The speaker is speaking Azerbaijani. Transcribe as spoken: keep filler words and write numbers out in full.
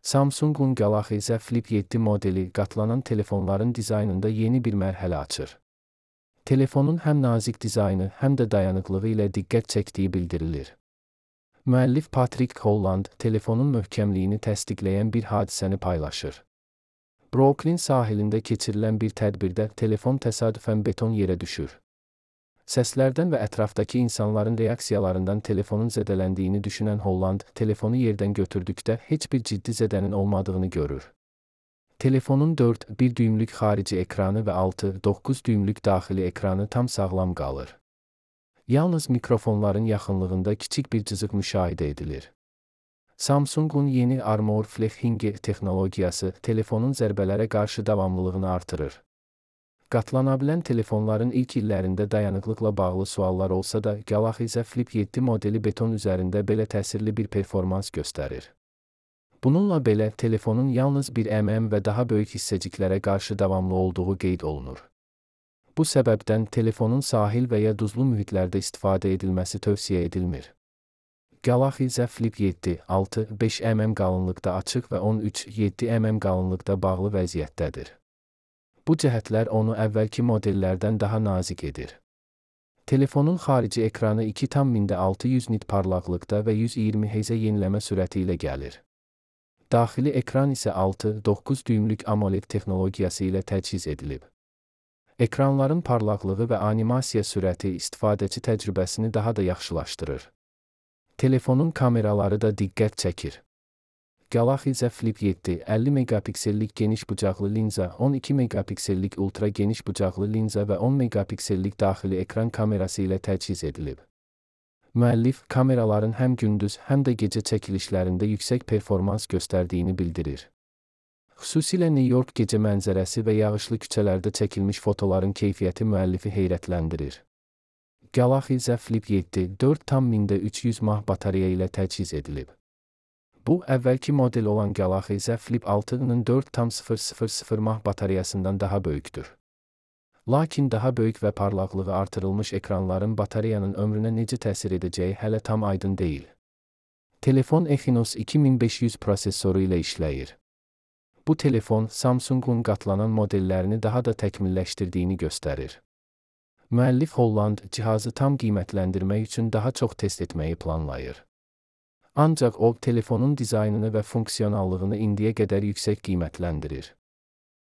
Samsung Galaxy Z Flip yeddi modeli qatlanan telefonların dizaynında yeni bir mərhələ açır. Telefonun həm nazik dizaynı, həm də dayanıqlığı ilə diqqət çəkdiyi bildirilir. Müəllif Patrick Holland telefonun möhkəmliyini təsdiqləyən bir hadisəni paylaşır. Brooklyn sahilində keçirilən bir tədbirdə telefon təsadüfən beton yerə düşür. Səslərdən və ətrafdakı insanların reaksiyalarından telefonun zədələndiyini düşünən Holland, telefonu yerdən götürdükdə heç bir ciddi zədənin olmadığını görür. Telefonun dörd bir düymlük xarici ekranı və altı doqquz düymlük daxili ekranı tam sağlam qalır. Yalnız mikrofonların yaxınlığında kiçik bir cızıq müşahidə edilir. Samsung'un yeni Armor Flexing texnologiyası telefonun zərbələrə qarşı davamlılığını artırır. Qatlanabilən telefonların ilk illərində dayanıqlıqla bağlı suallar olsa da, Galaxy Z Flip yeddi modeli beton üzərində belə təsirli bir performans göstərir. Bununla belə, telefonun yalnız bir mm və daha böyük hissəciklərə qarşı davamlı olduğu qeyd olunur. Bu səbəbdən telefonun sahil və ya duzlu mühitlərdə istifadə edilməsi tövsiyə edilmir. Galaxy Z Flip yeddi altı beş mm qalınlıqda açıq və on üç yeddi mm qalınlıqda bağlı vəziyyətdədir. Bu cəhətlər onu əvvəlki modellərdən daha nazik edir. Telefonun xarici ekranı iki tam mində altı yüz nit parlaqlıqda və yüz iyirmi hertz yeniləmə sürəti ilə gəlir. Daxili ekran isə altı doqquz düymlük AMOLED texnologiyası ilə təchiz edilib. Ekranların parlaqlığı və animasiya sürəti istifadəçi təcrübəsini daha da yaxşılaşdırır. Telefonun kameraları da diqqət çəkir. Galaxy Z Flip yeddi əlli megapiksellik geniş bucaqlı linza, on iki megapiksellik ultra geniş bucaqlı linza və on megapiksellik daxili ekran kamerası ilə təchiz edilib. Müəllif, kameraların həm gündüz, həm də gecə çəkilişlərində yüksək performans göstərdiyini bildirir. Xüsusilə New York gecə mənzərəsi və yağışlı küçələrdə çəkilmiş fotoların keyfiyyəti müəllifi heyrətləndirir. Galaxy Z Flip yeddi dörd tam mində üç yüz mAh batareya ilə təchiz edilib. Bu, əvvəlki model olan Galaxy Z Flip altının dörd tam sıfır sıfır sıfır mAh batareyasından daha böyükdür. Lakin daha böyük və parlaqlığı artırılmış ekranların batareyanın ömrünə necə təsir edəcəyi hələ tam aydın deyil. Telefon Exynos iki min beş yüz prosesoru ilə işləyir. Bu telefon, Samsung'un qatlanan modellərini daha da təkmilləşdirdiyini göstərir. Müəllif Holland, cihazı tam qiymətləndirmək üçün daha çox test etməyi planlayır. Ancaq o, telefonun dizaynını və funksionallığını indiyə qədər yüksək qiymətləndirir.